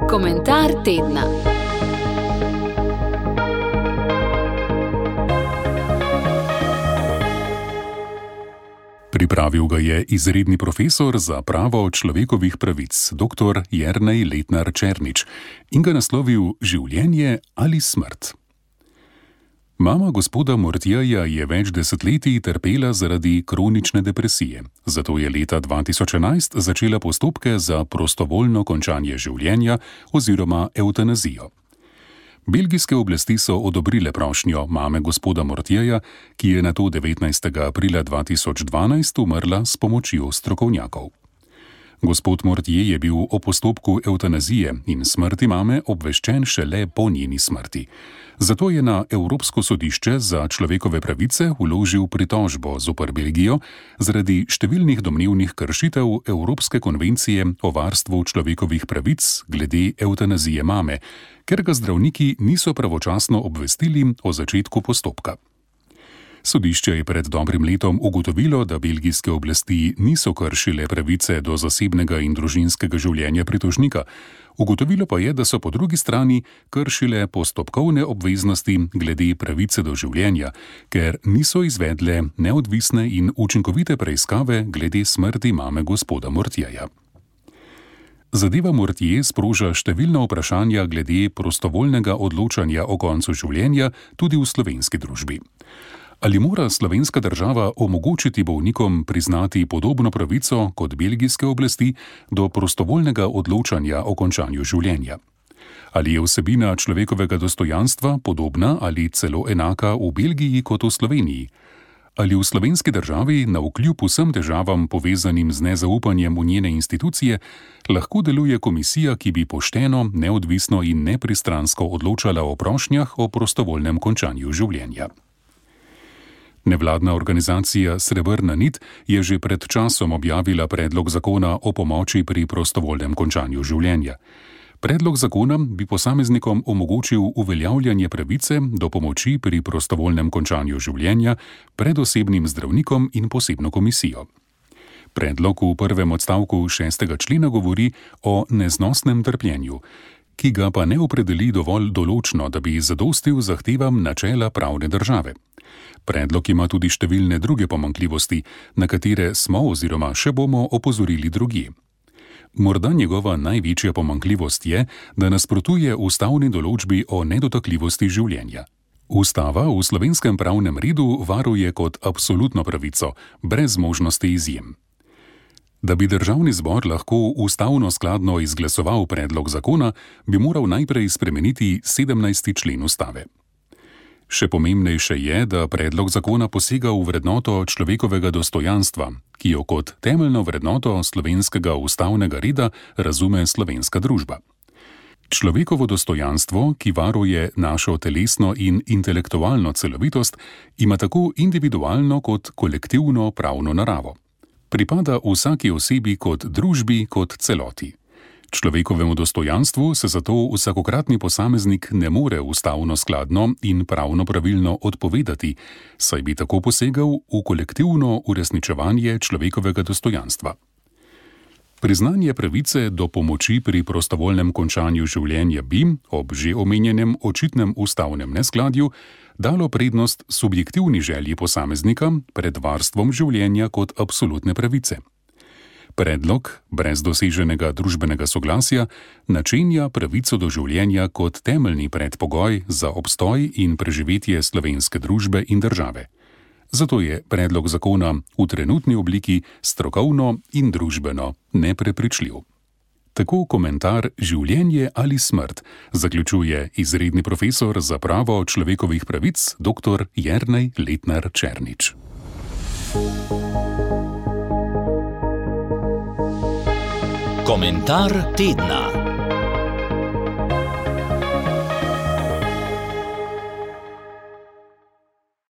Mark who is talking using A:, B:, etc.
A: Komentar tedna.
B: Pripravil ga je izredni profesor za pravo človekovih pravic, dr. Jernej Letnar Černič, in ga naslovil Življenje ali smrt. Mama gospoda Mortjeja je več desetletij trpela zaradi kronične depresije, zato je leta 2011 začela postopke za prostovoljno končanje življenja oziroma evtanazijo. Belgijske oblasti so odobrile prošnjo mame gospoda Mortjeja, ki je nato 19. aprila 2012 umrla s pomočjo strokovnjakov. Gospod Mortje je bil o postopku evtanazije in smrti mame obveščen šele po njeni smrti. Zato je na Evropsko sodišče za človekove pravice vložil pritožbo zoper Belgijo zaradi številnih domnevnih kršitev Evropske konvencije o varstvu človekovih pravic glede evtanazije mame, ker ga zdravniki niso pravočasno obvestili o začetku postopka. Sodišče je pred dobrim letom ugotovilo, da belgijske oblasti niso kršile pravice do zasebnega in družinskega življenja pritožnika. Ugotovilo pa je, da so po drugi strani kršile postopkovne obveznosti glede pravice do življenja, ker niso izvedle neodvisne in učinkovite preiskave glede smrti mame gospoda Mortjeja. Zadeva Mortje sproža številna vprašanja glede prostovoljnega odločanja o koncu življenja tudi v slovenski družbi. Ali mora slovenska država omogočiti bolnikom priznati podobno pravico kot belgijske oblasti do prostovoljnega odločanja o končanju življenja? Ali je vsebina človekovega dostojanstva podobna ali celo enaka v Belgiji kot v Sloveniji? Ali v slovenski državi, navkljub vsem težavam povezanim z nezaupanjem v njene institucije, lahko deluje komisija, ki bi pošteno, neodvisno in nepristransko odločala o prošnjah o prostovoljnem končanju življenja? Nevladna organizacija Srebrna nit je že pred časom objavila predlog zakona o pomoči pri prostovoljnem končanju življenja. Predlog zakona bi posameznikom omogočil uveljavljanje pravice do pomoči pri prostovoljnem končanju življenja pred osebnim zdravnikom in posebno komisijo. Predlog v prvem odstavku 6. člena govori o neznosnem trpljenju, ki ga pa ne opredeli dovolj določno, da bi zadostil zahtevam načela pravne države. Predlog ima tudi številne druge pomanjkljivosti, na katere smo oziroma še bomo opozorili drugje. Morda njegova največja pomanjkljivost je, da nasprotuje ustavni določbi o nedotakljivosti življenja. Ustava v slovenskem pravnem redu varuje kot absolutno pravico, brez možnosti izjem. Da bi državni zbor lahko ustavno skladno izglasoval predlog zakona, bi moral najprej spremeniti 17. člen ustave. Še pomembnejše je, da predlog zakona posega v vrednoto človekovega dostojanstva, ki jo kot temeljno vrednoto slovenskega ustavnega reda razume slovenska družba. Človekovo dostojanstvo, ki varuje našo telesno in intelektualno celovitost, ima tako individualno kot kolektivno pravno naravo. Pripada vsaki osebi kot družbi kot celoti. Človekovemu dostojanstvu se zato vsakokratni posameznik ne more ustavno skladno in pravno pravilno odpovedati, saj bi tako posegal v kolektivno uresničevanje človekovega dostojanstva. Priznanje pravice do pomoči pri prostovoljnem končanju življenja bi, ob že omenjenem očitnem ustavnem neskladju, dalo prednost subjektivni želji posameznika pred varstvom življenja kot absolutne pravice. Predlog, brez doseženega družbenega soglasja, načenja pravico do življenja kot temeljni predpogoj za obstoj in preživetje slovenske družbe in države. Zato je predlog zakona v trenutni obliki strokovno in družbeno neprepričljiv. Tako komentar Življenje ali smrt zaključuje izredni profesor za pravo človekovih pravic dr. Jernej Letnar Černič.
C: Komentar tedna.